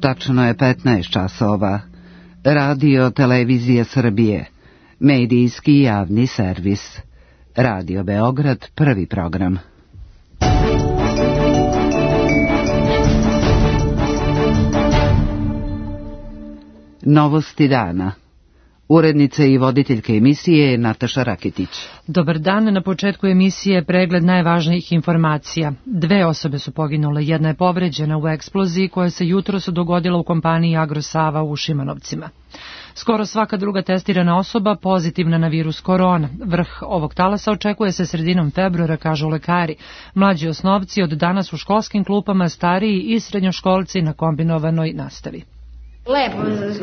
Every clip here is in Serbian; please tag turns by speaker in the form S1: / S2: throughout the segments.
S1: Tačno je 15 časova. Radio Televizije Srbije. Medijski javni servis. Radio Beograd, prvi program. Novosti dana. Urednica i voditeljka emisije je Nataša Raketić.
S2: Dobar dan, na početku emisije pregled najvažnijih informacija. 2 osobe su poginule, jedna je povređena u eksploziji koja se jutros dogodila u kompaniji Agrosava u Šimanovcima. Skoro svaka druga testirana osoba pozitivna na virus korona. Vrh ovog talasa očekuje se sredinom februara, kažu lekari. Mlađi osnovci od danas u školskim klupama, stariji i srednjoškolci na kombinovanoj nastavi.
S3: Lepo,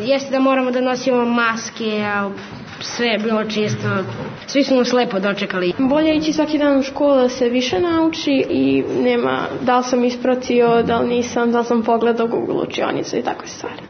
S3: jeste da moramo da nosimo maske, a sve je bilo čisto, svi su nas lepo dočekali.
S4: Bolje ići svaki dan u školu da se više nauči i nema da li sam ispratio, da li nisam, da li sam pogledao Google učionicu i takve stvari.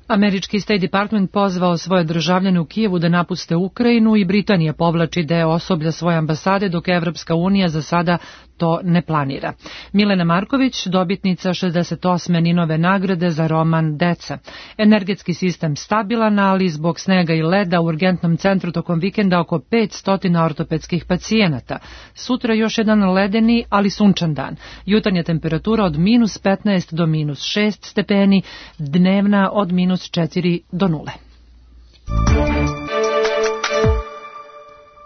S2: Američki State Department pozvao svoje državljane u Kijevu da napuste Ukrajinu i Britanija povlači deo osoblja svoje ambasade, dok Evropska unija za sada to ne planira. Milena Marković, dobitnica 68. Ninove nagrade za roman Deca. Energetski sistem stabilan, ali zbog snega i leda u urgentnom centru tokom vikenda oko 500 ortopedskih pacijenata. Sutra još jedan ledeni, ali sunčan dan. Jutarnja temperatura od -15 do -6 stepeni, dnevna od -4 do 0.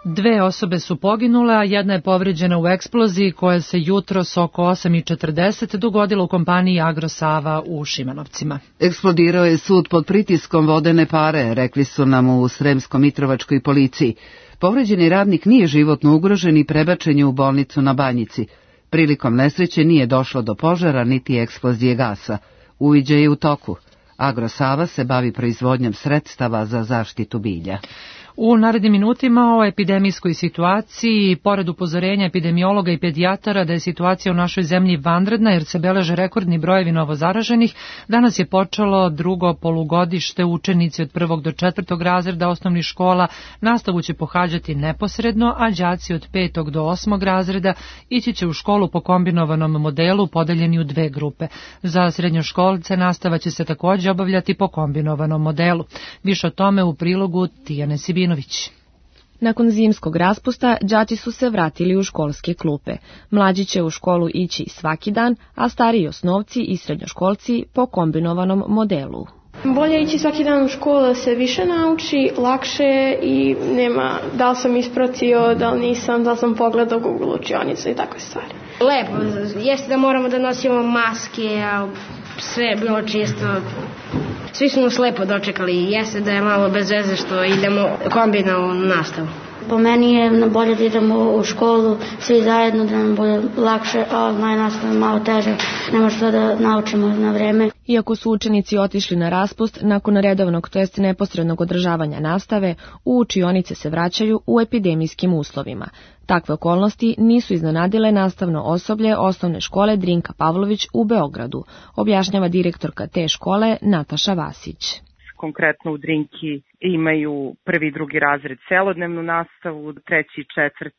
S2: 2 osobe su poginule, a jedna je povređena u eksploziji koja se jutros oko 8:40 dogodila u kompaniji Agrosava u Šimanovcima.
S1: Eksplodirao je sud pod pritiskom vodene pare, rekli su nam u Sremsko-Mitrovačkoj policiji. Povređeni radnik nije životno ugrožen i prebačen je u bolnicu na Banjici. Prilikom nesreće nije došlo do požara niti eksplozije gasa. Uviđaj je u toku. Agrosava se bavi proizvodnjom sredstava za zaštitu bilja.
S2: U narednim minutima o epidemijskoj situaciji, pored upozorenja epidemiologa i pedijatara da je situacija u našoj zemlji vanredna jer se beleže rekordni brojevi novozaraženih, danas je počelo drugo polugodište. Učenici od 1. do 4. razreda osnovnih škola nastavu će pohađati neposredno, a đaci od 5. do 8. razreda ići će u školu po kombinovanom modelu podeljeni u 2 grupe. Za srednjoškolce nastava će se također obavljati po kombinovanom modelu. Više o tome u prilogu Tijane Sibinović.
S5: Nakon zimskog raspusta, đaci su se vratili u školske klupe. Mlađi će u školu ići svaki dan, a stariji osnovci i srednjoškolci po kombinovanom modelu.
S4: Bolje ići svaki dan u školu da se više nauči, lakše je i nema da li sam ispratio, da li nisam, da li sam pogledao Google učionicu i takve stvari.
S3: Lepo, jeste da moramo da nosimo maske, a sve je bilo čisto, svi su nas lepo dočekali. Jeste da je malo bez veze što idemo kombinovanu nastavu.
S6: Po meni je bolje da idemo u školu svi zajedno, da nam bude lakše, a online nastava je malo teže, ne možemo da naučimo na vreme.
S5: Iako su učenici otišli na raspust, nakon redovnog, to jest neposrednog održavanja nastave, u učionice se vraćaju u epidemijskim uslovima. Takve okolnosti nisu iznenadile nastavno osoblje osnovne škole Drinka Pavlović u Beogradu, objašnjava direktorka te škole Nataša Vasić.
S7: Konkretno u Drinki imaju 1. i 2. razred celodnevnu nastavu, 3. i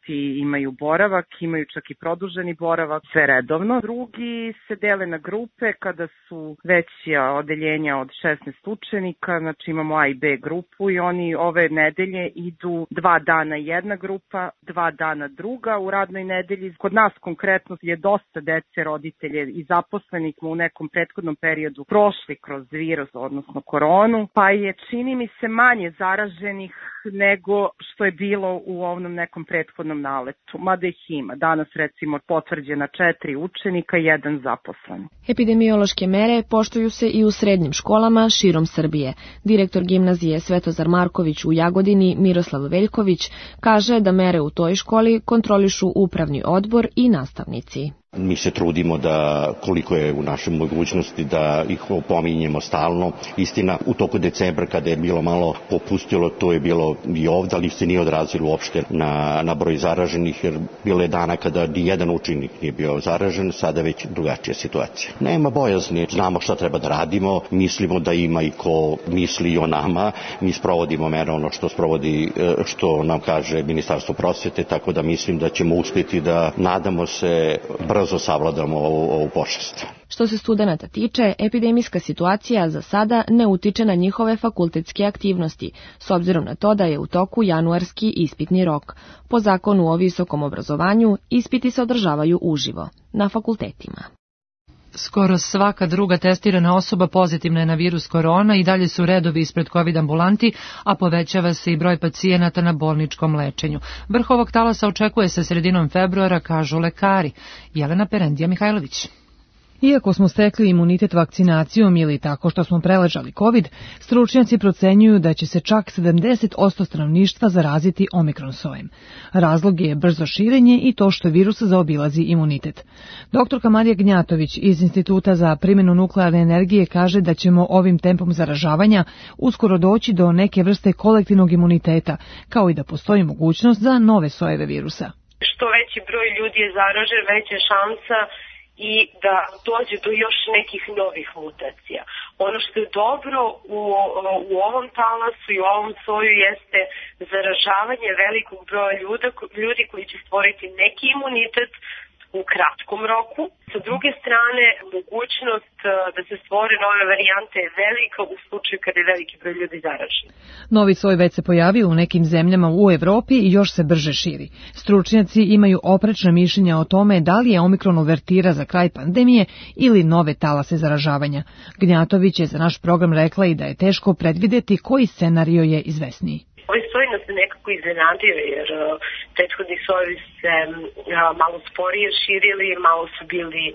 S7: 4. imaju boravak, imaju čak i produženi boravak, sve redovno. Drugi se dele na grupe kada su veća odeljenja od 16 učenika, znači imamo A i B grupu i oni ove nedelje idu 2 dana jedna grupa, 2 dana druga u radnoj nedelji. Kod nas konkretno je dosta dece, roditelje i zaposlenih u nekom prethodnom periodu prošli kroz virus, odnosno koronu, pa je čini mi se manje zaraženih nego što je bilo u ovom nekom prethodnom naletu. Mada ih ima. Danas recimo potvrđena 4 učenika i 1 zaposlen.
S5: Epidemiološke mere poštuju se i u srednjim školama širom Srbije. Direktor gimnazije Svetozar Marković u Jagodini Miroslav Veljković kaže da mere u toj školi kontrolišu upravni odbor i nastavnici.
S8: Mi se trudimo da koliko je u našoj mogućnosti da ih opominjemo stalno. Istina, u toku decembra kada je bilo malo popustilo, to je bilo i ovdje, ali se nije odrazilo uopšte na broj zaraženih, jer bilo je dana kada ni jedan učenik nije bio zaražen, sada već drugačija situacija. Nema bojazni, znamo šta treba da radimo, mislimo da ima i ko misli o nama, mi sprovodimo mere ono što nam kaže Ministarstvo prosvete, tako da mislim da ćemo uspjeti da nadamo se brzo savladamo ovu pošast.
S5: Što se studenata tiče, epidemijska situacija za sada ne utiče na njihove fakultetske aktivnosti, s obzirom na to da je u toku januarski ispitni rok. Po zakonu o visokom obrazovanju, ispiti se održavaju uživo, na fakultetima.
S2: Skoro svaka druga testirana osoba pozitivna je na virus korona i dalje su redovi ispred COVID ambulanti, a povećava se i broj pacijenata na bolničkom lečenju. Vrh ovog talasa očekuje se sredinom februara, kažu lekari. Jelena Perendija Mihajlović.
S9: Iako smo stekli imunitet vakcinacijom ili tako što smo preležali COVID, stručnjaci procenjuju da će se čak 70% stanovništva zaraziti omikron sojem. Razlog je brzo širenje i to što virus zaobilazi imunitet. Doktorka Marija Gnjatović iz Instituta za primjenu nuklearne energije kaže da ćemo ovim tempom zaražavanja uskoro doći do neke vrste kolektivnog imuniteta, kao i da postoji mogućnost za nove sojeve virusa.
S10: Što veći broj ljudi je zaražen, veća šansa i da dođe do još nekih novih mutacija. Ono što je dobro u ovom talasu i u ovom soju jeste zaražavanje velikog broja ljudi koji će stvoriti neki imunitet u kratkom roku. Sa druge strane, mogućnost da se stvore nove varijante je velika u slučaju kada je veliki broj ljudi zaražen.
S9: Novi soj već se pojavio u nekim zemljama u Evropi i još se brže širi. Stručnjaci imaju oprečna mišljenja o tome da li je omikron uvertira za kraj pandemije ili nove talase zaražavanja. Gnjatović je za naš program rekla i da je teško predvideti koji scenario je izvesniji.
S10: Ovaj soj nas nekako iznenadio jer prethodni sojevi se malo sporije širili, malo su bili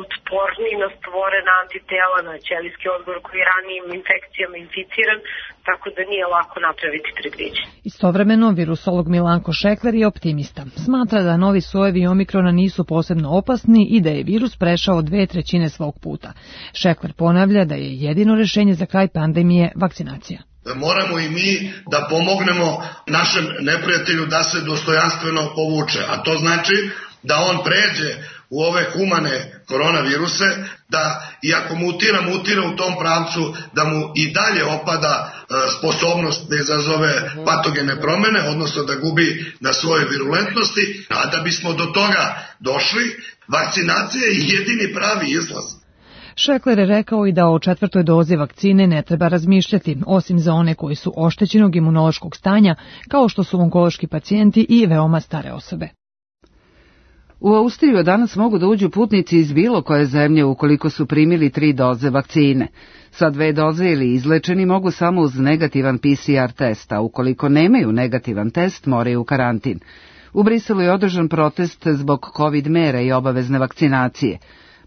S10: otporni na stvorena antitela, na ćelijski odgovor koji je ranijim infekcijama inficiran, tako da nije lako napraviti predviđenje.
S9: Istovremeno, virusolog Milanko Šekler je optimista. Smatra da novi sojevi omikrona nisu posebno opasni i da je virus prešao 2/3 svog puta. Šekler ponavlja da je jedino rešenje za kraj pandemije vakcinacija.
S11: Moramo i mi da pomognemo našem neprijatelju da se dostojanstveno povuče, a to znači da on pređe u ove humane koronaviruse, da iako mutira u tom pravcu, da mu i dalje opada sposobnost da izazove patogene promene, odnosno da gubi na svojoj virulentnosti, a da bismo do toga došli, vakcinacija je jedini pravi izlaz.
S9: Šekler je rekao i da o 4. dozi vakcine ne treba razmišljati, osim za one koji su oštećenog imunološkog stanja, kao što su onkološki pacijenti i veoma stare osobe.
S1: U Austriju danas mogu da uđu putnici iz bilo koje zemlje ukoliko su primili 3 doze vakcine. Sa 2 doze ili izlečeni mogu samo uz negativan PCR test, a ukoliko nemaju negativan test moraju u karantin. U Briselu je održan protest zbog COVID mera i obavezne vakcinacije.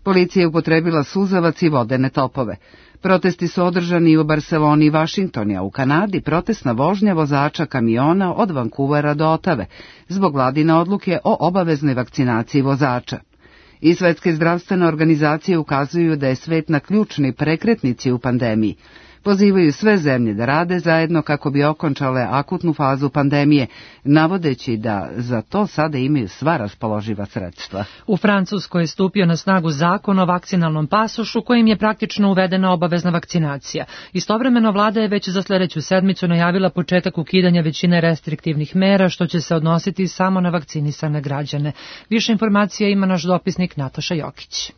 S1: Policija je upotrebila suzavac i vodene topove. Protesti su održani u Barseloni i Vašingtonu, a u Kanadi protestna vožnja vozača kamiona od Vancouvera do Otave, zbog vladine odluke o obaveznoj vakcinaciji vozača. I Svetske zdravstvene organizacije ukazuju da je svet na ključni prekretnici u pandemiji. Pozivaju sve zemlje da rade zajedno kako bi okončale akutnu fazu pandemije, navodeći da za to sada imaju sva raspoloživa sredstva.
S2: U Francuskoj je stupio na snagu zakon o vakcinalnom pasošu kojim je praktično uvedena obavezna vakcinacija. Istovremeno vlada je već za sljedeću sedmicu najavila početak ukidanja većine restriktivnih mera što će se odnositi samo na vakcinisane građane. Više informacija ima naš dopisnik Nataša Jokić.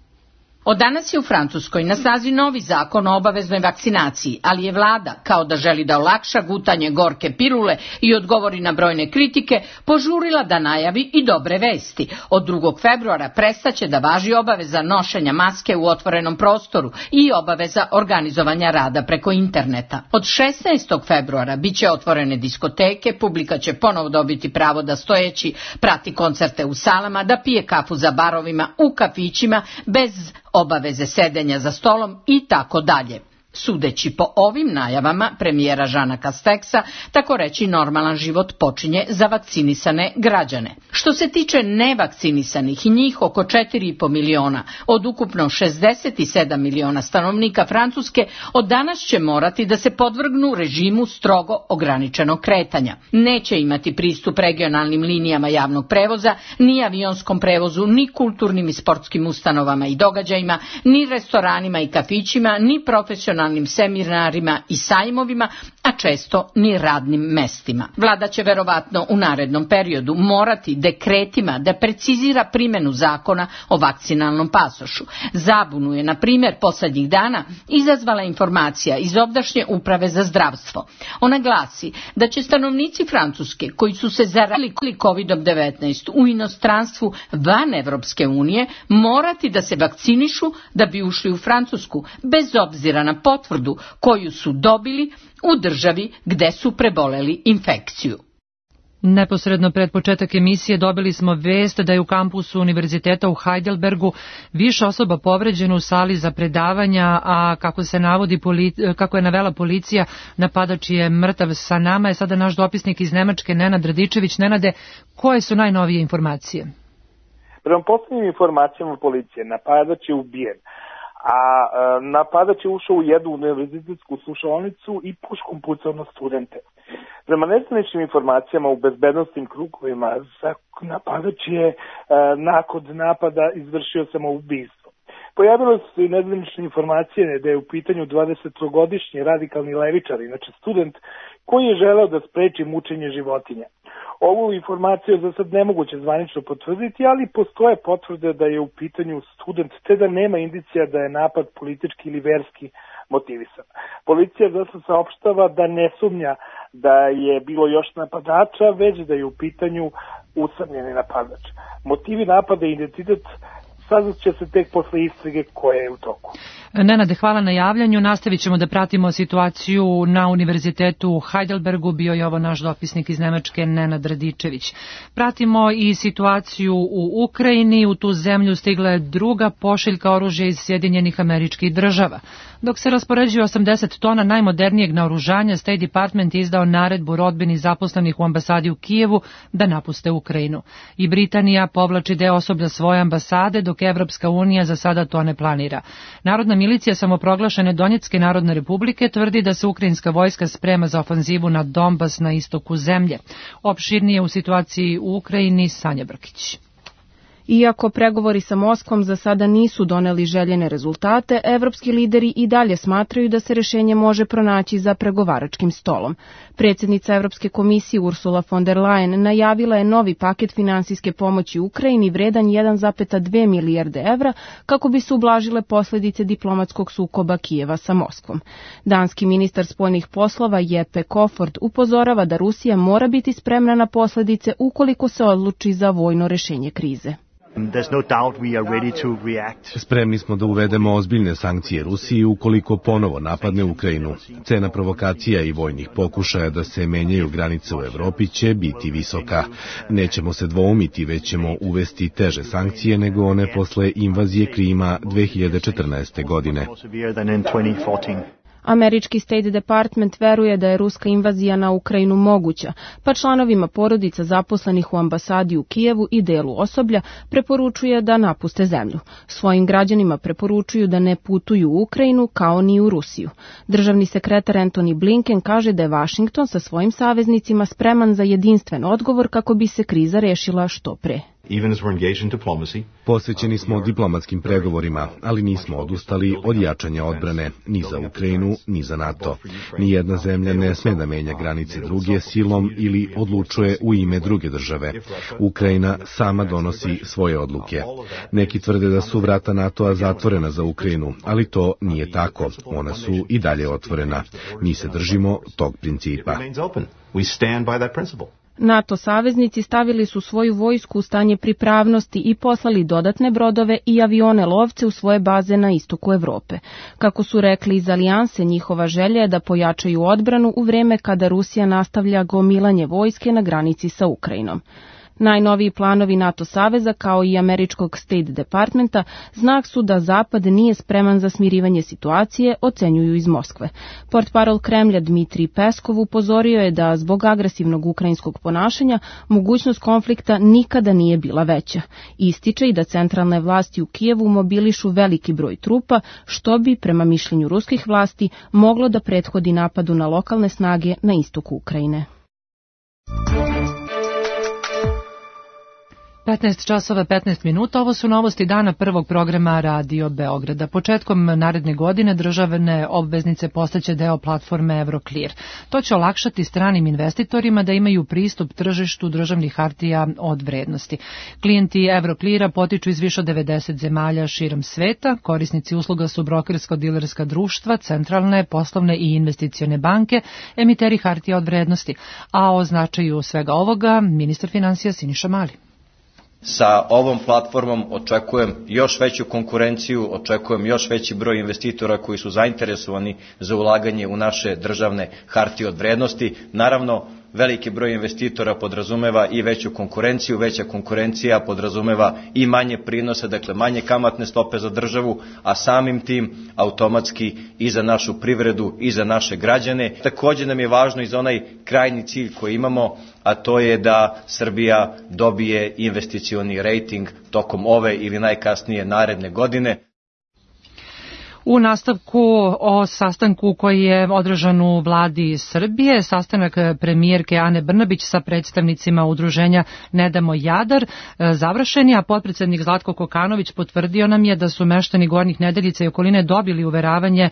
S12: Od danas je u Francuskoj na snazi novi zakon o obaveznoj vakcinaciji, ali je vlada, kao da želi da olakša gutanje gorke pilule i odgovori na brojne kritike, požurila da najavi i dobre vesti. Od 2. februara prestaće da važi obaveza nošenja maske u otvorenom prostoru i obaveza organizovanja rada preko interneta. Od 16. februara biće otvorene diskoteke, publika će ponovo dobiti pravo da stojeći prati koncerte u salama, da pije kafu za barovima, u kafićima, bez obaveze sedenja za stolom i tako dalje. Sudeći po ovim najavama premijera Žana Kasteksa, tako reći normalan život počinje za vakcinisane građane. Što se tiče nevakcinisanih, njih oko 4,5 miliona, od ukupno 67 miliona stanovnika Francuske, od danas će morati da se podvrgnu režimu strogo ograničenog kretanja. Neće imati pristup regionalnim linijama javnog prevoza, ni avionskom prevozu, ni kulturnim i sportskim ustanovama i događajima, ni restoranima i kafićima, ni profesionalnim seminarima i sajmovima, a često ni radnim mestima. Vlada će verovatno u narednom periodu morati dekretima da precizira primjenu zakona o vakcinalnom pasošu. Zabunu je, na primjer, poslednjih dana izazvala informacija iz ovdašnje uprave za zdravstvo. Ona glasi da će stanovnici Francuske koji su se zarazili COVID-19 u inostranstvu van Evropske unije morati da se vakcinišu da bi ušli u Francusku, bez obzira na potvrdu koju su dobili u državi gde su preboleli infekciju.
S2: Neposredno pred početak emisije dobili smo vest da je u kampusu univerziteta u Heidelbergu više osoba povređeno u sali za predavanja, a kako je navela policija, napadač je mrtav. Sa nama je sada naš dopisnik iz Nemačke, Nenad Radičević. Nenade, koje su najnovije informacije?
S13: Prema poslednjim informacijama policije, napadač je ubijen, a napadač je ušao u jednu univerzitetsku slušaonicu i puškom pucao na studente. Prema nezvaničnim informacijama u bezbednostnim krugovima, napadač je nakon napada izvršio samoubistvo. Pojavile su se i nezvanične informacije da je u pitanju 20-godišnji radikalni levičar, inače student, koji je želeo da spreči mučenje životinja. Ovu informaciju za sad nemoguće zvanično potvrditi, ali postoje potvrde da je u pitanju student, te da nema indicija da je napad politički ili verski motivisan. Policija zato saopštava da ne sumnja da je bilo još napadača, već da je u pitanju usamljeni napadač. Motivi napada i identitet saznat će se tek posle istrage koja je u toku.
S2: Nenade, hvala na javljanju. Nastavit ćemo da pratimo situaciju na univerzitetu u Heidelbergu. Bio je ovo naš dopisnik iz Nemačke, Nenad Radičević. Pratimo i situaciju u Ukrajini. U tu zemlju stigla je druga pošiljka oružja iz Sjedinjenih Američkih Država. Dok se raspoređuje 80 tona najmodernijeg naoružanja, State Department je izdao naredbu rodbini zaposlenih u ambasadi u Kijevu da napuste Ukrajinu. I Britanija povlači deo osoblja svoje ambasade, dok Evropska unija za sada to ne planira. Narodna milicija samoproglašene Donjecke narodne republike tvrdi da se ukrajinska vojska sprema za ofanzivu na Donbas na istoku zemlje. Opširnije u situaciji u Ukrajini Sanja Brkić.
S14: Iako pregovori sa Moskvom za sada nisu doneli željene rezultate, evropski lideri i dalje smatraju da se rešenje može pronaći za pregovaračkim stolom. Predsjednica Evropske komisije Ursula von der Leyen najavila je novi paket finansijske pomoći Ukrajini vredan 1,2 milijarde evra kako bi se ublažile posljedice diplomatskog sukoba Kijeva sa Moskvom. Danski ministar spoljnih poslova Jeppe Kofod upozorava da Rusija mora biti spremna na posljedice ukoliko se odluči za vojno rešenje krize.
S15: Spremni smo da uvedemo ozbiljne sankcije Rusiji ukoliko ponovo napadne Ukrajinu. Cena provokacija i vojnih pokušaja da se menjaju granice u Evropi će biti visoka. Nećemo se dvoumiti, već ćemo uvesti teže sankcije nego one posle invazije Krima 2014. godine.
S14: Američki State Department veruje da je ruska invazija na Ukrajinu moguća, pa članovima porodica zaposlenih u ambasadi u Kijevu i delu osoblja preporučuje da napuste zemlju. Svojim građanima preporučuju da ne putuju u Ukrajinu kao ni u Rusiju. Državni sekretar Antony Blinken kaže da je Washington sa svojim saveznicima spreman za jedinstven odgovor kako bi se kriza rešila što pre.
S15: Posvećeni smo diplomatskim pregovorima, ali nismo odustali od jačanja odbrane ni za Ukrajinu, ni za NATO. Nijedna zemlja ne sme da menja granice druge silom ili odlučuje u ime druge države. Ukrajina sama donosi svoje odluke. Neki tvrde da su vrata NATO-a zatvorena za Ukrajinu, ali to nije tako. Ona su i dalje otvorena. Mi se držimo tog principa.
S14: NATO saveznici stavili su svoju vojsku u stanje pripravnosti i poslali dodatne brodove i avione lovce u svoje baze na istoku Evrope. Kako su rekli iz Alijanse, njihova želja je da pojačaju odbranu u vreme kada Rusija nastavlja gomilanje vojske na granici sa Ukrajinom. Najnoviji planovi NATO saveza kao i američkog State Departmenta znak su da Zapad nije spreman za smirivanje situacije, ocenjuju iz Moskve. Portparol Kremlja Dmitrij Peskov upozorio je da zbog agresivnog ukrajinskog ponašanja mogućnost konflikta nikada nije bila veća. Ističe i da centralne vlasti u Kijevu mobilišu veliki broj trupa, što bi, prema mišljenju ruskih vlasti, moglo da prethodi napadu na lokalne snage na istoku Ukrajine.
S2: 15 časova 15 minuta, ovo su novosti dana prvog programa Radio Beograda. Početkom naredne godine državne obveznice postaće deo platforme Euroclear. To će olakšati stranim investitorima da imaju pristup tržištu državnih hartija od vrednosti. Klijenti Eurocleara potiču iz više od 90 zemalja širom sveta, korisnici usluga su brokersko-dilerska društva, centralne, poslovne i investicione banke, emiteri hartija od vrednosti. A o značaju svega ovoga ministar finansija Siniša Mali.
S16: Sa ovom platformom očekujem još veću konkurenciju, očekujem još veći broj investitora koji su zainteresovani za ulaganje u naše državne hartije od vrednosti. Naravno, veliki broj investitora podrazumeva i veću konkurenciju, veća konkurencija podrazumeva i manje prinose, dakle manje kamatne stope za državu, a samim tim automatski i za našu privredu i za naše građane. Također nam je važno i za onaj krajnji cilj koji imamo, a to je da Srbija dobije investicioni rejting tokom ove ili najkasnije naredne godine.
S2: U nastavku o sastanku koji je održan u vladi Srbije, sastanak premijerke Ane Brnabić sa predstavnicima udruženja Ne damo Jadar završen je, a potpredsednik Zlatko Kokanović potvrdio nam je da su meštani Gornjih Nedeljica i okoline dobili uveravanje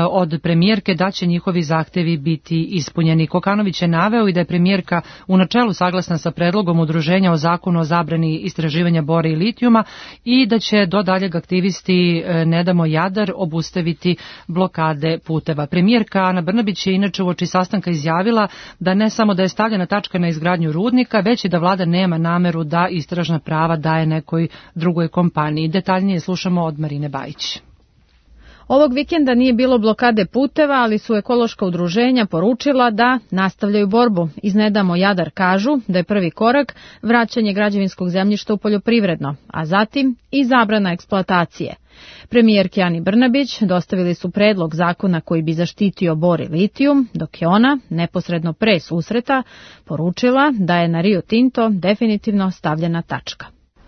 S2: od premijerke da će njihovi zahtevi biti ispunjeni. Kokanović je naveo i da je premijerka u načelu saglasna sa predlogom udruženja o zakonu o zabrani istraživanja bora i litijuma i da će do daljeg aktivisti Ne damo Jadar obustaviti blokade puteva. Premijerka Ana Brnabić je inače uoči sastanka izjavila da ne samo da je stavljena tačka na izgradnju rudnika, već i da vlada nema nameru da istražna prava daje nekoj drugoj kompaniji. Detaljnije slušamo od Marine Bajić.
S17: Ovog vikenda nije bilo blokade puteva, ali su ekološka udruženja poručila da nastavljaju borbu. Iz Ne damo Jadar kažu da je prvi korak vraćanje građevinskog zemljišta u poljoprivredno, a zatim i zabrana eksploatacije. Premijerki Ani Brnabić dostavili su predlog zakona koji bi zaštitio bor i litijum, dok je ona, neposredno pre susreta, poručila da je na Rio Tinto definitivno stavljena tačka.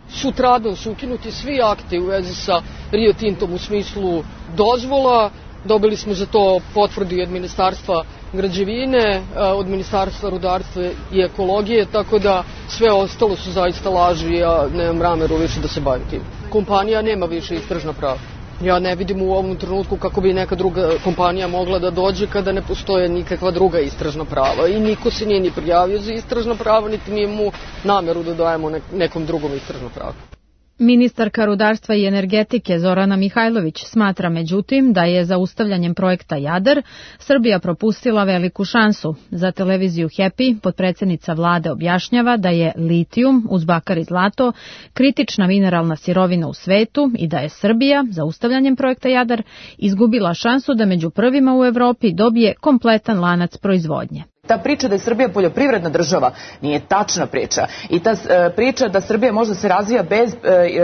S18: Sutradan su ukinuti svi akti u vezi sa Rio Tintom u smislu dozvola. Dobili smo za to potvrdu od Ministarstva građevine, od Ministarstva rudarstva i ekologije, tako da sve ostalo su zaista laži, ja nemam nameru više da se bavim tim. Kompanija nema više istražna prava. Ja ne vidim u ovom trenutku kako bi neka druga kompanija mogla da dođe kada ne postoje nikakva druga istražna prava i niko se nije ni prijavio za istražna prava, niti nije mu nameru da dajemo nekom drugom istražna prava.
S17: Ministarka rudarstva i energetike Zorana Mihajlović smatra međutim da je zaustavljanjem projekta Jadar Srbija propustila veliku šansu. Za televiziju Happy potpredsednica vlade objašnjava da je litijum uz bakar i zlato kritična mineralna sirovina u svetu i da je Srbija zaustavljanjem projekta Jadar izgubila šansu da među prvima u Evropi dobije kompletan lanac proizvodnje.
S19: Ta priča da je Srbija poljoprivredna država nije tačna priča i ta priča da Srbija može se razvija bez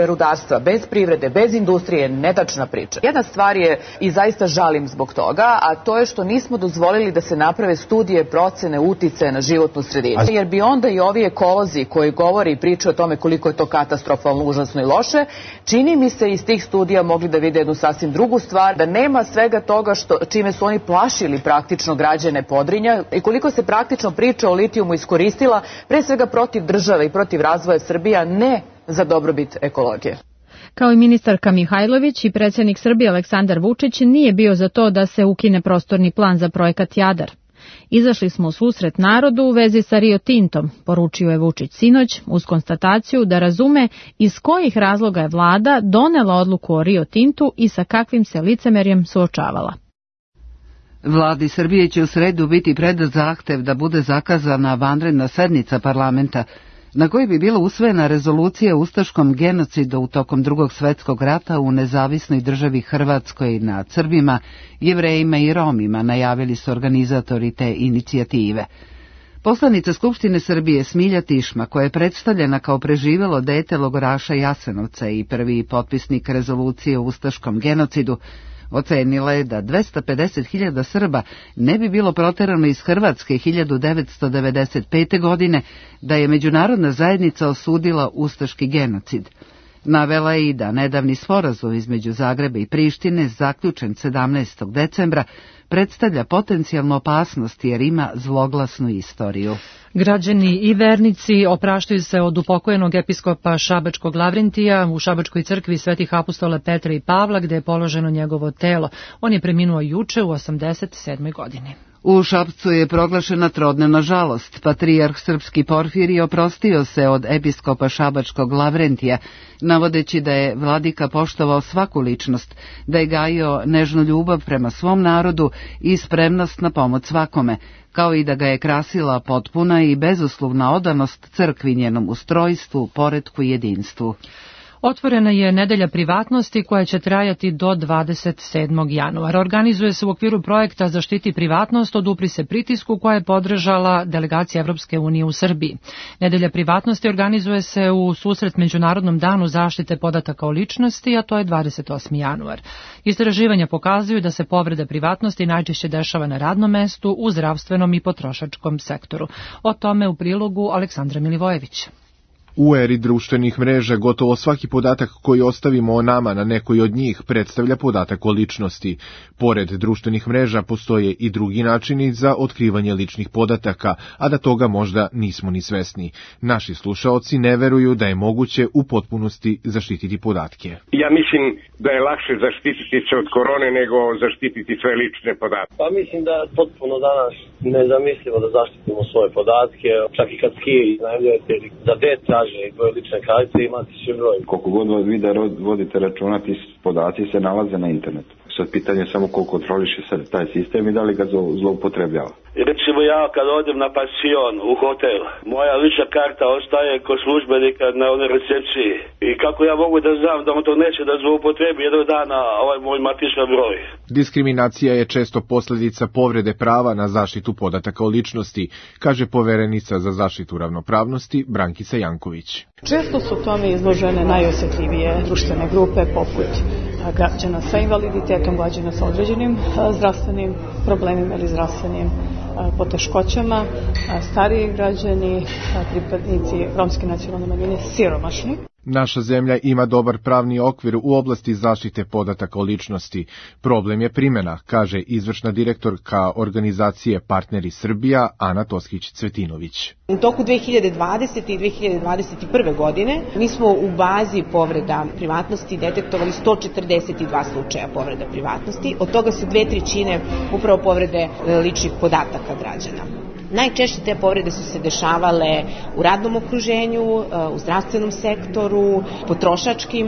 S19: rudarstva, bez privrede, bez industrije je netačna priča. Jedna stvar je i zaista žalim zbog toga, a to je što nismo dozvolili da se naprave studije procene uticaja na životnu sredinu. Jer bi onda i ovi ekolozi koji govore i pričaju o tome koliko je to katastrofalno, užasno i loše, čini mi se iz tih studija mogli da vide jednu sasvim drugu stvar, da nema svega toga čime su oni plašili praktično građane Podrinja i koliko se praktično priča o litijumu iskoristila pre svega protiv države i protiv razvoja Srbije, ne za dobrobit ekologije.
S17: Kao i ministarka Mihajlović i predsjednik Srbije Aleksandar Vučić nije bio za to da se ukine prostorni plan za projekat Jadar. Izašli smo u susret narodu u vezi sa Rio Tintom, poručio je Vučić sinoć uz konstataciju da razume iz kojih razloga je vlada donela odluku o Rio Tintu i sa kakvim se licemerjem suočavala.
S1: Vladi Srbije će u sredu biti predat zahtev da bude zakazana vanredna sednica parlamenta na kojoj bi bila usvojena rezolucija o ustaškom genocidu tokom Drugog svjetskog rata u nezavisnoj državi Hrvatskoj nad Srbima, Jevrejima i Romima, najavili su organizatori te inicijative. Poslanica Skupštine Srbije Smilja Tišma, koja je predstavljena kao preživelo dete logoraša Jasenovca i prvi potpisnik rezolucije o ustaškom genocidu, ocenila je da 250.000 Srba ne bi bilo proterano iz Hrvatske 1995. godine, da je međunarodna zajednica osudila ustaški genocid. Navela je i da nedavni sporazum između Zagreba i Prištine, zaključen 17. decembra, predstavlja potencijalnu opasnost jer ima zloglasnu istoriju.
S2: Građani i vernici opraštaju se od upokojenog episkopa Šabačkog Lavrentija u Šabačkoj crkvi Svetih apostola Petra i Pavla, gde je položeno njegovo telo. On je preminuo juče u 87. godini.
S1: U Šapcu je proglašena trodnevna žalost. Patrijarh srpski Porfirij oprostio se od episkopa Šabačkog Lavrentija, navodeći da je vladika poštovao svaku ličnost, da je gajio nežnu ljubav prema svom narodu i spremnost na pomoć svakome, kao i da ga je krasila potpuna i bezuslovna odanost crkvi, njenom ustrojstvu, poretku i jedinstvu.
S2: Otvorena je nedelja privatnosti koja će trajati do 27. januara. Organizuje se u okviru projekta Zaštiti privatnost, odupri se pritisku koja je podržala delegacija Evropske unije u Srbiji. Nedelja privatnosti organizuje se u susret Međunarodnom danu zaštite podataka o ličnosti, a to je 28. januar. Istraživanja pokazuju da se povreda privatnosti najčešće dešava na radnom mestu, u zdravstvenom i potrošačkom sektoru. O tome u prilogu Aleksandra Milivojević.
S20: U eri društvenih mreža gotovo svaki podatak koji ostavimo o nama na nekoj od njih predstavlja podatak o ličnosti. Pored društvenih mreža postoje i drugi načini za otkrivanje ličnih podataka, a da toga možda nismo ni svesni. Naši slušaoci ne veruju da je moguće u potpunosti zaštititi podatke.
S21: Ja mislim da je lakše zaštititi se od korone nego zaštititi sve lične podatke.
S22: Pa mislim da je potpuno danas nezamislivo da zaštitimo svoje podatke, čak i kad skije iznajmljujete za deca, i tvoje lične kartice imati svi broj.
S23: Koliko god vas vi da vodite računa, ti podaci se nalaze na internetu. Sad pitanje je samo koliko kontroliše sad taj sistem i da li ga zloupotrebljava.
S22: Recimo ja kad odem na pansion u hotel, moja lična karta ostaje kod službenika na onoj recepciji. I kako ja mogu da znam da on to neće da zloupotrebi jednog dana ovaj moj matični broj.
S20: Diskriminacija je često posljedica povrede prava na zaštitu podataka o ličnosti, kaže poverenica za zaštitu ravnopravnosti Brankica Janković.
S24: Često su tome izložene najosjetljivije društvene grupe poput građana sa invaliditetom, građana sa određenim zdravstvenim problemima ili zdravstvenim poteškoćama, stariji građani, pripadnici romske nacionalne manjine, siromašni.
S20: Naša zemlja ima dobar pravni okvir u oblasti zaštite podataka o ličnosti. Problem je primjena, kaže izvršna direktorka organizacije Partneri Srbija Ana Toskić-Cvetinović.
S25: U toku 2020. i 2021. godine mi smo u bazi povreda privatnosti detektovali 142 slučaja povreda privatnosti, od toga su 2/3 upravo povrede ličnih podataka građana. Najčešće te povrede su se dešavale u radnom okruženju, u zdravstvenom sektoru, potrošačkim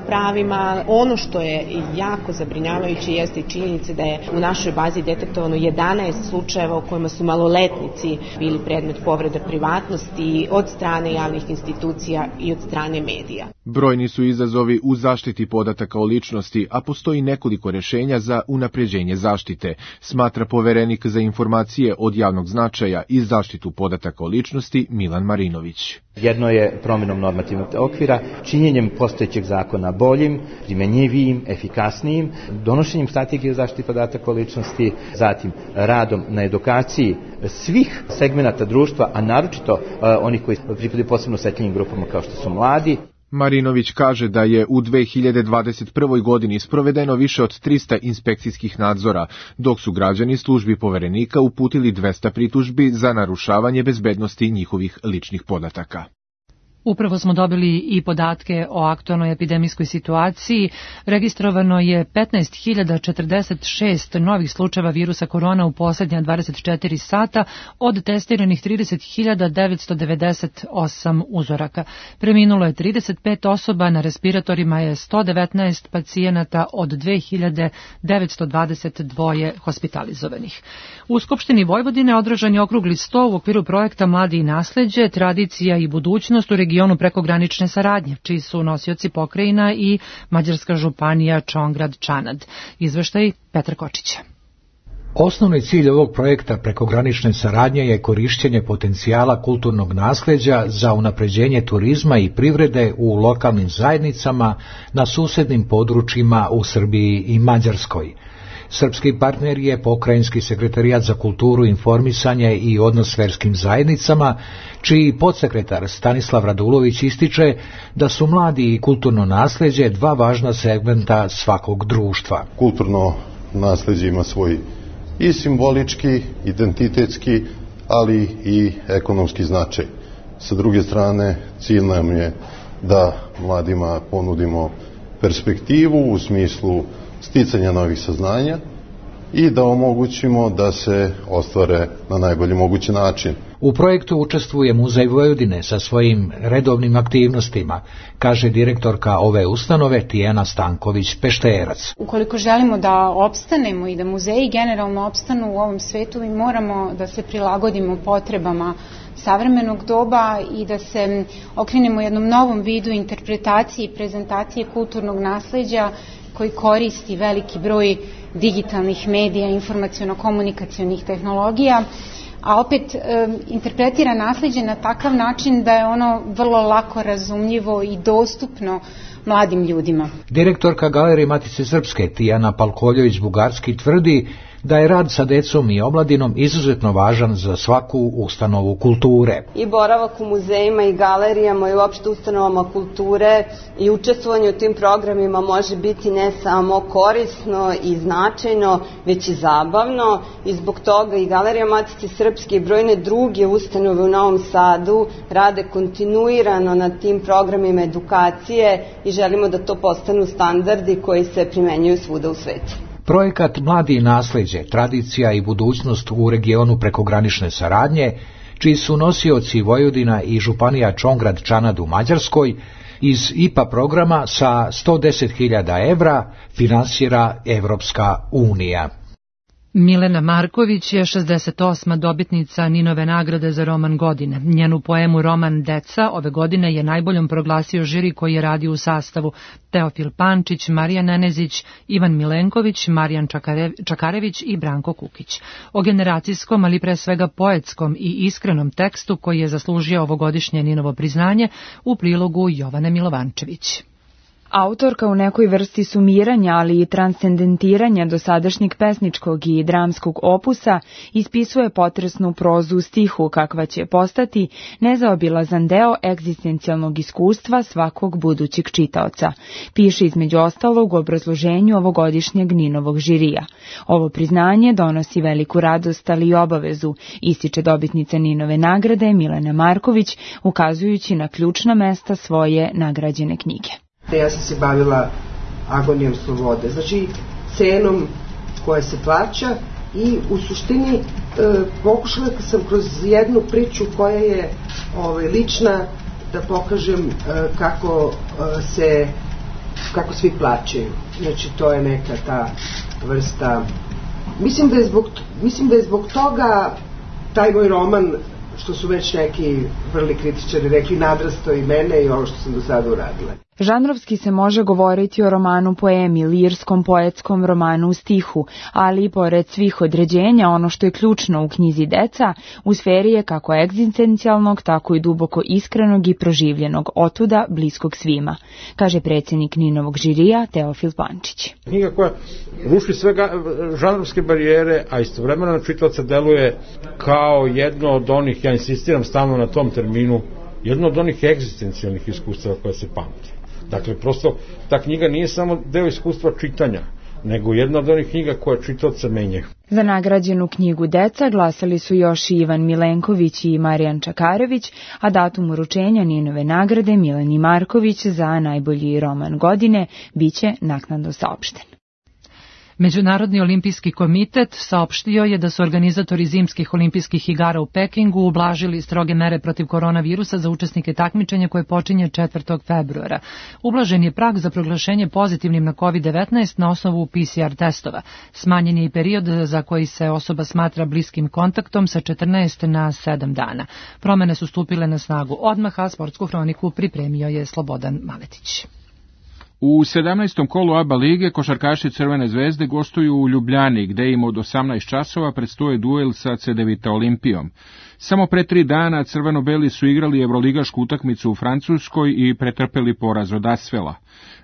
S25: pravima. Ono što je jako zabrinjavajuće jeste i činjenica da je u našoj bazi detektovano 11 slučajeva u kojima su maloletnici bili predmet povrede privatnosti od strane javnih institucija i od strane medija.
S20: Brojni su izazovi u zaštiti podataka o ličnosti, a postoji nekoliko rješenja za unapređenje zaštite, smatra poverenik za informacije od javnog značaja i zaštitu podataka o ličnosti Milan Marinović.
S26: Jedno je promjenom normativnog okvira, činjenjem postojećeg zakona boljim, primenjivijim, efikasnijim, donošenjem strategije o zaštiti podataka o ličnosti, zatim radom na edukaciji svih segmenata društva, a naročito onih koji pripadaju posebno osjetljivim grupama kao što su mladi.
S20: Marinović kaže da je u 2021. godini sprovedeno više od 300 inspekcijskih nadzora, dok su građani službi poverenika uputili 200 pritužbi za narušavanje bezbednosti njihovih ličnih podataka.
S2: Upravo smo dobili i podatke o aktualnoj epidemijskoj situaciji. Registrovano je 15.046 novih slučajeva virusa korona u posljednja 24 sata od testiranih 30.998 uzoraka. Preminulo je 35 osoba, na respiratorima je 119 pacijenata od 2.922 hospitalizovanih. U Skupštini Vojvodine održan je okrugli sto u okviru projekta Mladi i nasleđe, tradicija i budućnost u regionu prekogranične saradnje, čiji su nosioci pokrajina i mađarska županija Čongrad-Čanad. Izveštaj Petar Kočića.
S27: Osnovni cilj ovog projekta prekogranične saradnje je korišćenje potencijala kulturnog nasleđa za unapređenje turizma i privrede u lokalnim zajednicama na susednim područjima u Srbiji i Mađarskoj. Srpski partner je Pokrajinski sekretarijat za kulturu, informisanje i odnos s verskim zajednicama, čiji podsekretar Stanislav Radulović ističe da su mladi i kulturno nasleđe dva važna segmenta svakog društva.
S3: Kulturno nasleđe ima svoj i simbolički, identitetski, ali i ekonomski značaj. Sa druge strane, cilj nam je da mladima ponudimo perspektivu u smislu sticanja novih saznanja i da omogućimo da se ostvare na najbolji mogući način.
S27: U projektu učestvuje Muzej Vojvodine sa svojim redovnim aktivnostima, kaže direktorka ove ustanove Tijana Stanković-Pešterac.
S4: Ukoliko želimo da opstanemo i da muzeji generalno opstanu u ovom svetu, mi moramo da se prilagodimo potrebama savremenog doba i da se okrenemo jednom novom vidu interpretacije i prezentacije kulturnog nasleđa koji koristi veliki broj digitalnih medija, informaciono-komunikacionih tehnologija, a opet interpretira nasleđe na takav način da je ono vrlo lako razumljivo i dostupno mladim ljudima.
S27: Direktorka Galerije Matice Srpske Tijana Palkoljević-Bugarski tvrdi da je rad sa decom i omladinom izuzetno važan za svaku ustanovu kulture.
S5: I boravak u muzejima i galerijama i uopšte ustanovama kulture i učestvovanje u tim programima može biti ne samo korisno i značajno, već i zabavno, i zbog toga i Galerija Matice Srpske i brojne druge ustanove u Novom Sadu rade kontinuirano na tim programima edukacije i želimo da to postanu standardi koji se primenjuju svuda u svetu.
S27: Projekat Mladi i nasleđe, tradicija i budućnost u regionu prekogranične saradnje, čiji su nosioci Vojvodina i županija Čongrad-Čanad u Mađarskoj, iz IPA programa sa 110.000 evra finansira Evropska unija.
S2: Milena Marković je 68. dobitnica Ninove nagrade za roman godine. Njenu poemu Roman Deca ove godine je najboljom proglasio žiri koji je radio u sastavu Teofil Pančić, Marija Nenezić, Ivan Milenković, Marijan Čakarević i Branko Kukić. O generacijskom, ali pre svega poetskom i iskrenom tekstu koji je zaslužio ovogodišnje Ninovo priznanje u prilogu Jovane Milovančević.
S6: Autorka u nekoj vrsti sumiranja, ali i transcendentiranja dosadašnjeg pesničkog i dramskog opusa ispisuje potresnu prozu u stihu kakva će postati nezaobilazan deo egzistencijalnog iskustva svakog budućeg čitaoca. Piše između ostalog u obrazloženju ovogodišnjeg Ninovog žirija. Ovo priznanje donosi veliku radost, ali i obavezu, ističe dobitnica Ninove nagrade Milena Marković, ukazujući na ključna mesta svoje nagrađene knjige.
S7: Ja sam se bavila agonijom slobode, znači cenom koja se plaća, i u suštini pokušala sam kroz jednu priču koja je lična da pokažem kako svi plaćaju. Znači to je neka ta vrsta. Mislim da je zbog toga taj moj roman, što su već neki vrli kritičari rekli, nadrasto i mene i ovo što sam do sada uradila.
S6: Žanrovski se može govoriti o romanu poemi, lirskom poetskom romanu u stihu, ali i pored svih određenja ono što je ključno u knjizi Deca, u sferi je kako egzistencijalnog, tako i duboko iskrenog i proživljenog, otuda bliskog svima, kaže predsjednik Ninovog žirija Teofil Pančić.
S8: Knjiga koja ruši sve žanrovske barijere, a istovremeno na čitaoca deluje kao jedno od onih, ja insistiram stalno na tom terminu, jedno od onih egzistencijalnih iskustava koja se pamti. Dakle, prosto, ta knjiga nije samo deo iskustva čitanja, nego jedna od onih knjiga koja čitaoca menja.
S6: Za nagrađenu knjigu Deca glasali su još i Ivan Milenković i Marijan Čakarević, a datum uručenja Ninove nagrade Mileni Marković za najbolji roman godine biće naknadno saopšten.
S2: Međunarodni olimpijski komitet saopštio je da su organizatori zimskih olimpijskih igara u Pekingu ublažili stroge mere protiv koronavirusa za učesnike takmičenja koje počinje 4. februara. Ublažen je prag za proglašenje pozitivnim na COVID-19 na osnovu PCR testova. Smanjen je i period za koji se osoba smatra bliskim kontaktom sa 14 na 7 dana. Promene su stupile na snagu odmah, a sportsku hroniku pripremio je Slobodan Maletić.
S9: U 17. kolu ABA lige košarkaši Crvene zvezde gostuju u Ljubljani, gde im od 18 časova predstoje duel sa Cedevita Olimpijom. Samo pre 3 dana crveno-beli su igrali evroligašku utakmicu u Francuskoj i pretrpeli poraz od Asvela.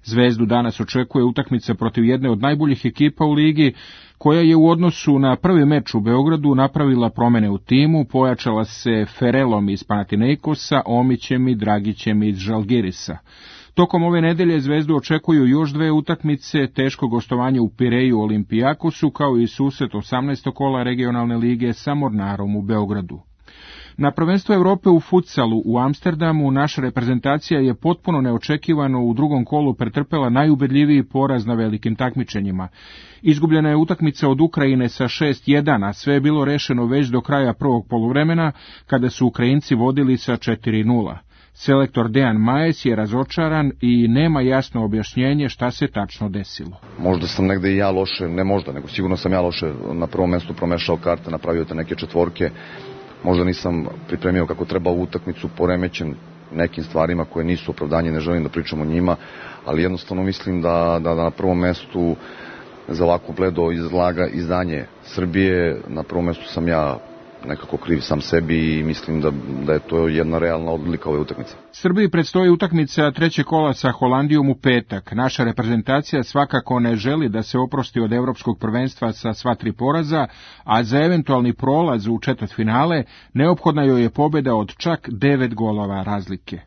S9: Zvezdu danas očekuje utakmica protiv jedne od najboljih ekipa u ligi, koja je u odnosu na prvi meč u Beogradu napravila promene u timu, pojačala se Ferelom iz Panathinaikosa, Omićem i Dragićem iz Žalgirisa. Tokom ove nedelje Zvezdu očekuju još 2 utakmice, teško gostovanje u Pireju Olimpijakosu, kao i susret 18. kola regionalne lige sa Mornarom u Beogradu. Na prvenstvu Evrope u futsalu u Amsterdamu naša reprezentacija je potpuno neočekivano u drugom kolu pretrpela najubedljiviji poraz na velikim takmičenjima. Izgubljena je utakmica od Ukrajine sa 6:1, a sve je bilo rešeno već do kraja prvog poluvremena, kada su Ukrajinci vodili sa 4:0. Selektor Dejan Majes je razočaran i nema jasno objašnjenje šta se tačno desilo.
S10: Možda sam negde i ja loše, ne možda, nego sigurno sam ja loše na prvom mestu promešao karte, napravio te neke četvorke. Možda nisam pripremio kako treba ovu utakmicu, poremećen nekim stvarima koje nisu opravdanje, ne želim da pričam o njima, ali jednostavno mislim da na prvom mestu za ovako bledo izdanje Srbije, na prvom mestu sam ja nekako kriv sam sebi i mislim da je to jedna realna odlika ove utakmice.
S9: Srbiji predstoji utakmica treće kola sa Holandijom u petak. Naša reprezentacija svakako ne želi da se oprosti od evropskog prvenstva sa sva 3 poraza, a za eventualni prolaz u četvrtfinale neophodna joj je pobjeda od čak 9 golova razlike.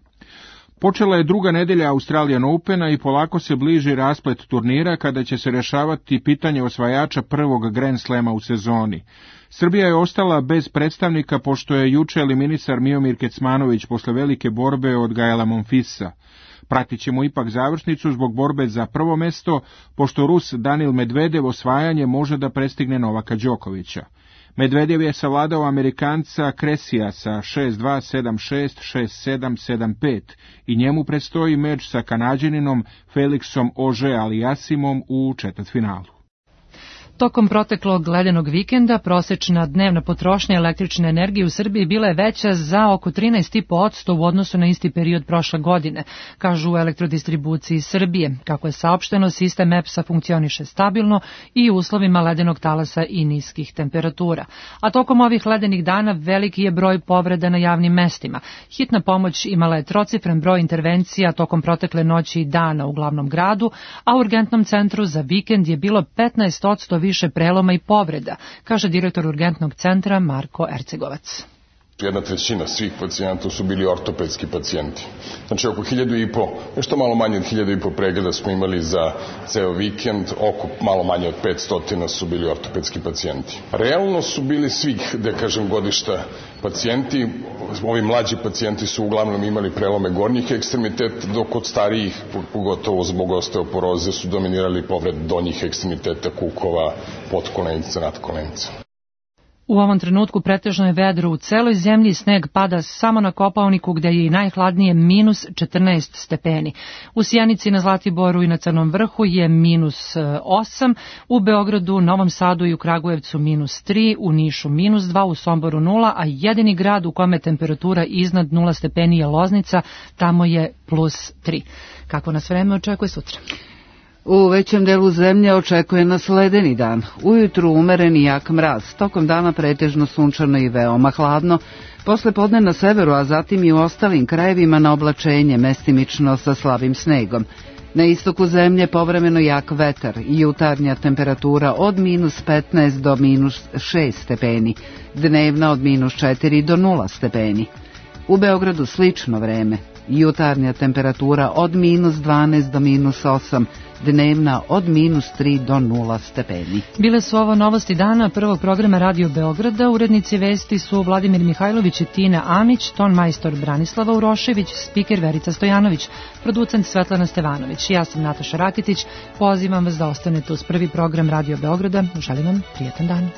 S9: Počela je druga nedelja Australian Opena i polako se bliži rasplet turnira kada će se rešavati pitanje osvajača prvog Grand Slema u sezoni. Srbija je ostala bez predstavnika pošto je juče eliminisar Miomir Kecmanović posle velike borbe od Gaela Monfilsa. Pratit ćemo ipak završnicu zbog borbe za prvo mesto, pošto Rus Danil Medvedev osvajanje može da prestigne Novaka Đokovića. Medvedev je savladao Amerikanca Kresija sa 6-2, 7-6, 6-7, 7-5 i njemu predstoji meč sa Kanađaninom Felixom Auger-Aliassimom u četvrtfinalu.
S2: Tokom proteklog ledenog vikenda prosečna dnevna potrošnja električne energije u Srbiji bila je veća za oko 13,5% u odnosu na isti period prošle godine, kažu u Elektrodistribuciji Srbije. Kako je saopšteno, sistem EPS-a funkcioniše stabilno i u uslovima ledenog talasa i niskih temperatura. A tokom ovih ledenih dana veliki je broj povreda na javnim mestima. Hitna pomoć imala je trocifren broj intervencija tokom protekle noći i dana u glavnom gradu, a u urgentnom centru za vikend je bilo 15% više preloma i povreda, kaže direktor urgentnog centra Marko Ercegovac.
S11: 1/3 svih pacijenata su bili ortopedski pacijenti. Znači oko 1.500, nešto malo manje od 1.500 pregleda smo imali za ceo vikend, oko malo manje od 500 su bili ortopedski pacijenti. Realno su bili svih, da kažem, godišta pacijenti. Ovi mlađi pacijenti su uglavnom imali prelome gornjih ekstremiteta, dok kod starijih, pogotovo zbog osteoporoze, su dominirali povred donjih ekstremiteta, kukova, potkolenica, nadkolenica.
S2: U ovom trenutku pretežno je vedro u celoj zemlji, sneg pada samo na Kopaoniku gde je i najhladnije minus 14 stepeni. U Sjenici, na Zlatiboru i na Crnom vrhu je minus 8, u Beogradu, Novom Sadu i u Kragujevcu minus 3, u Nišu minus 2, u Somboru 0, a jedini grad u kome temperatura iznad 0 stepeni je Loznica, tamo je plus 3. Kako nas vreme očekuje sutra?
S1: U većem delu zemlje očekuje nas ledeni dan. Ujutru umeren i jak mraz, tokom dana pretežno sunčano i veoma hladno, posle podne na severu, a zatim i u ostalim krajevima na oblačenje, mestimično sa slabim snegom. Na istoku zemlje povremeno jak vetar i jutarnja temperatura od minus 15 do minus 6 stepeni, dnevna od minus 4 do 0 stepeni. U Beogradu slično vreme, jutarnja temperatura od minus 12 do minus 8, dnevna od minus 3 do 0 stepeni.
S2: Bile su ovo novosti dana prvog programa Radio Beograda. Urednici vesti su Vladimir Mihajlović i Tina Amić, ton majstor Branislava Urošević, spiker Verica Stojanović, producent Svetlana Stevanović. Ja sam Nataša Rakitić, pozivam vas da ostanete uz prvi program Radio Beograda. Želim vam prijetan dan.